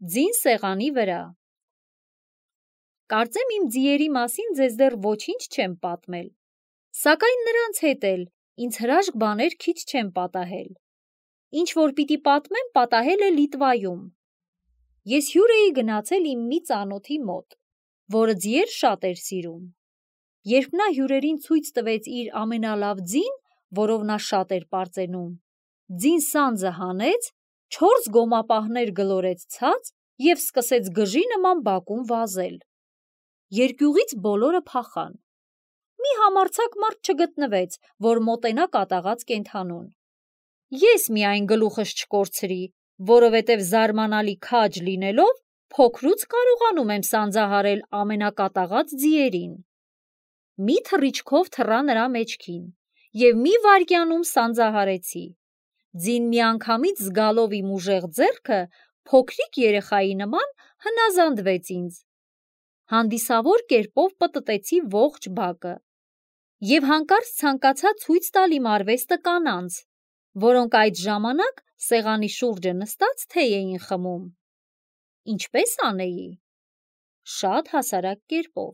Ձին սեղանի վրա։ Կարծեմ իմ ձիերի մասին ձեզ դեռ ոչինչ չեմ պատմել, սակայն նրանց հետ էլ ինձ հրաշք բաներ քիչ չեմ պատահել։ Ինչ որ պիտի պատմեմ, պատահել է Լիտվայում։ Ես հյուր էի գնացել իմ մի ծանոթի մոտ, որը ձիեր շատ էր սիրում։ Երբ նա հյուրերին ցույց տվեց իր ամենալավ ձին, որով նա շատ էր պարծենում, ձին սանձը հանեց, 4 գոմապահներ գլորեց ցած և սկսեց գժի նման բակում վազել։ Երկյուղից բոլորը փախան։ Մի համարձակ մարդ չգտնվեց, որ մոտենա կատաղած կենդանուն։ Ես միայն գլուխս չկորցրի, որովհետև զարմանալի քաջ լինելով փոքրուց կարողանում եմ սանձահարել ամենակատաղած ձիերին։ Մի թռիչքով թռա նրա մեջքին և մի վայրկյանում սանձահարեցի։ Ձին միանգամից զգալով իմ ուժեղ ձեռքը, փոքրիկ երեխայի նման հնազանդվեց ինձ։ Հանդիսավոր կերպով պտտեցի ողջ բակը և հանկարծ ցանկացա ցույց տալ իմ արվեստը կանանց, որոնք այդ ժամանակ սեղանի շուրջը նստած թեյ էին խմում։ Ինչպե՞ս անեի։ Շատ հասարակ կերպով։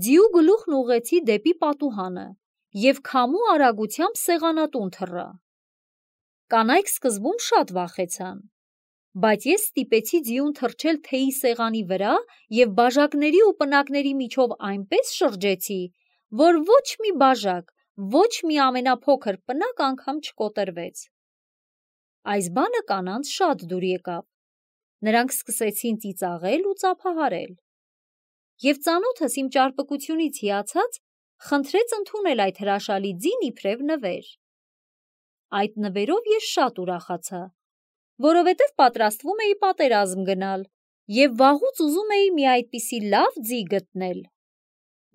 Ձիու գլուխն ուղղեցի դեպի պատուհանը և քամու արագությամբ սեղանատուն թռա։ Կանայք սկզբում շատ վախեցան, բայց ես ստիպեցի ձիուն թռչել թեյի սեղանի վրա և բաժակների ու պնակների միջով այնպես շրջեցի, որ ոչ մի բաժակ, ոչ մի ամենափոքր պնակ անգամ չկոտրվեց։ Այս բանը կանանց շատ դուր եկավ։ Նրանք սկսեցին ծիծաղել ու ծափահարել։ Եվ ծանոթս իմ ճարպկությունից հիացած խնդրեց ընդունել այդ հրաշալի ձին իբրև նվեր։ Այդ նվերով ես շատ ուրախացա, որովհետև պատրաստվում էի պատերազմ գնալ և վաղուց ուզում էի մի այդպիսի լավ ձի գտնել։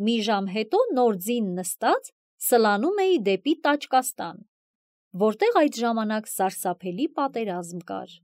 Մի ժամ հետո նոր ձին նստած սլանում էի դեպի Տաճկաստան, որտեղ այդ ժամանակ սարսափելի պատերազմ կար։